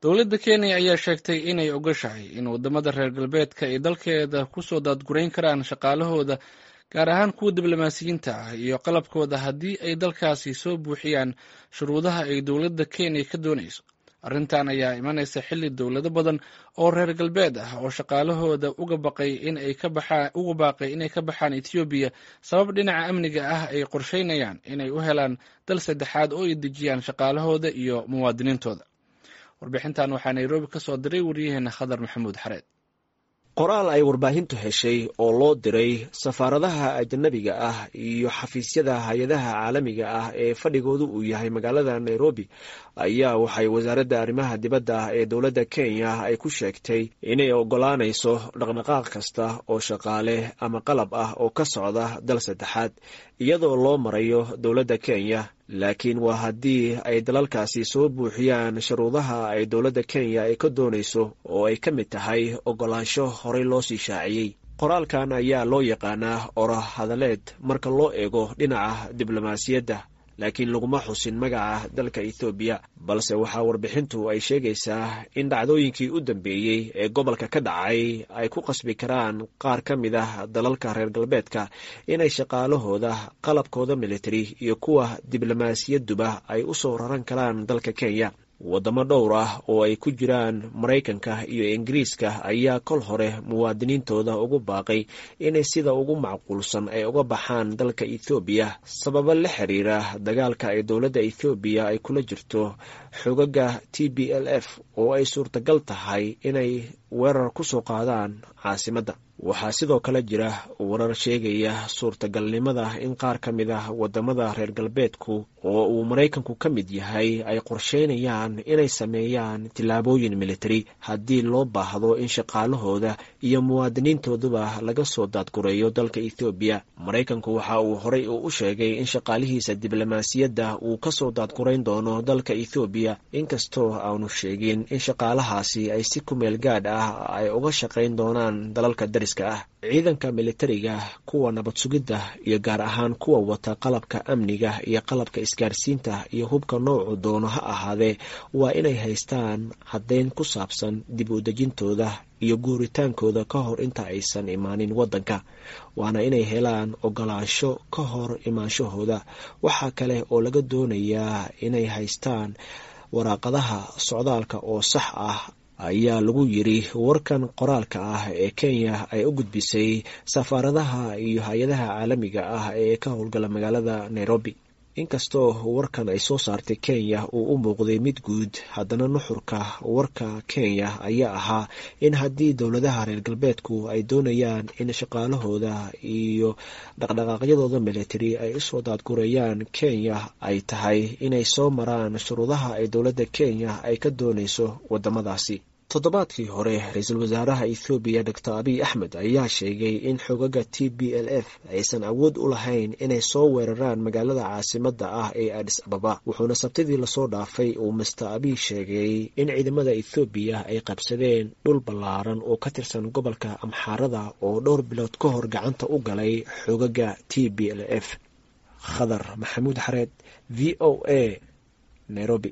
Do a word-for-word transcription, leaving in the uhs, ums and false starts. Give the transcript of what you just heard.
Dowladda Kenya ayaa sheegtay inay ogashahay in wadamada reer galbeedka ay dalkeeda kusoo daadgurayn karaan shaqaalahooda, gaar ahaan kuwa diblomaasiyiinta ah iyo qalabkooda, haddii ay dalkaasi soo buuxiyaan shuruudaha ay dowladda Kenya ka doonayso. Arrintan ayaa imanaysa xilli dowlado badan oo reer galbeed ah oo shaqaalahooda uga baqay in ay ka baxaan uga baaqay inay ka baxaan Ethiopia sabab dhinaca amniga ah ay qorsheynayaan inay u helaan dal saddexaad oo ay dejiyaan shaqaalahooda iyo muwaadiniintooda. Warbixintan waxaa Nairobi ka soo diray wariyaheena Khadar Maxamuud Xareed. Qoraal ay warbaahintu heshay oo loo diray safaaradaha ajanabiga ah iyo xafiisyada hay-adaha caalamiga ah ee fadhigoodu uu yahay magaalada Nairobi ayaa waxay wasaaradda arrimaha dibadda ee dowladda Kenya ay ku sheegtay inay ogolaanayso dhaqdhaqaaq kasta oo shaqaale ama qalab ah oo ka socda dal saddexaad iyadoo loo marayo dowladda Kenya, laakiin waa haddii ay dalalkaasi soo buuxiyaan shuruudaha ay dowladda Kenya ay ka doonayso oo ay ka mid tahay ogolaansho horey loo sii shaaciyey. Qoraalkan ayaa loo yaqaanaa ora hadaleed marka loo eego dhinaca diblomaasiyadda, laakiin laguma xusin magaca dalka Ethoobiya, balse waxaa warbixintu ay sheegaysaa in dhacdooyinkii u dambeeyey ee gobolka ka dhacay ay ku qasbi karaan qaar ka mid ah dalalka reer galbeedka inay shaqaalahooda, qalabkooda military iyo kuwa diblomaasiyaduba ay u soo raran karaan dalka Kenya. Wadamo dhowr ah oo ay ku jiraan Maraykanka iyo Ingiriiska ayaa kol hore muwaadiniintooda ugu baaqay inay sida ugu macquulsan ay uga baxaan dalka Ethoobiya sababo la xiriira dagaalka ay dowladda Ethoobiya ay kula jirto xogaga T B L F oo ay suurtagal tahay inay weerar ku soo qaadaan caasimadda. Waxaa sidoo kale jira warar sheegaya suurtagalnimada in qaar ka mid ah wadamada reer galbeedku oo uu Maraykanku ka mid yahay ay qorsheynayaan inay sameeyaan tillaabooyin military haddii loo baahdo in shaqaalahooda iyo muwaadiniintooduba laga soo daadgureeyo dalka Ethoobiya. Maraykanku waxa uu horey u sheegay in shaqaalihiisa diblomaasiyadda uu kasoo daadgurayn doono dalka Ethoobiya, inkastoo aanu sheegin in shaqaalahaasi ay si kumeel gaadh ah ay uga shaqayn doonaan dalalka dariska ah. Ciidanka militariga, kuwa nabad sugidda iyo gaar ahaan kuwa wata qalabka amniga iyo qalabka isgaarsiinta iyo hubka noocu doono ha ahaadee, waa inay haystaan caddayn ku saabsan dib u dejintooda iyo guuritaankooda ka hor inta aysan imaanin waddanka, waana inay helaan ogolaansho ka hor imaanshahooda. Waxaa kale oo laga doonayaa inay haystaan waraaqadaha socdaalka oo sax ah, ayaa lagu yiri warkan qoraalka ah ee Kenya ay u gudbisay safaaradaha iyo hay-adaha caalamiga ah ee ka howlgala magaalada Nairobi. Inkastoo warkan ay soo saartay Kenya uu u muuqday mid guud, haddana nuxurka warka Kenya ayaa ahaa in haddii dowladaha reer galbeedku ay doonayaan in shaqaalahooda iyo dhaqdhaqaaqyadooda military ay usoo daadgureeyaan Kenya, ay tahay inay soo maraan shuruudaha ay dowladda Kenya ay ka doonayso wadamadaasi. Toddobaadkii hore, ra-iisul wasaaraha Ethoobiya Doctor Abiy Axmed ayaa sheegay in xogaga T B L F aysan awood u lahayn inay soo weeraraan magaalada caasimadda ah ee Addis Ababa, wuxuuna sabtidii lasoo dhaafay uu Mister Abiy sheegay in ciidamada Ethoobiya ay qabsadeen dhul ballaaran oo ka tirsan gobolka Amxaarada oo dhowr bilood ka hor gacanta u galay xogaga T B L F. Khadar Maxamuud Xareed, V O A, Nairobi.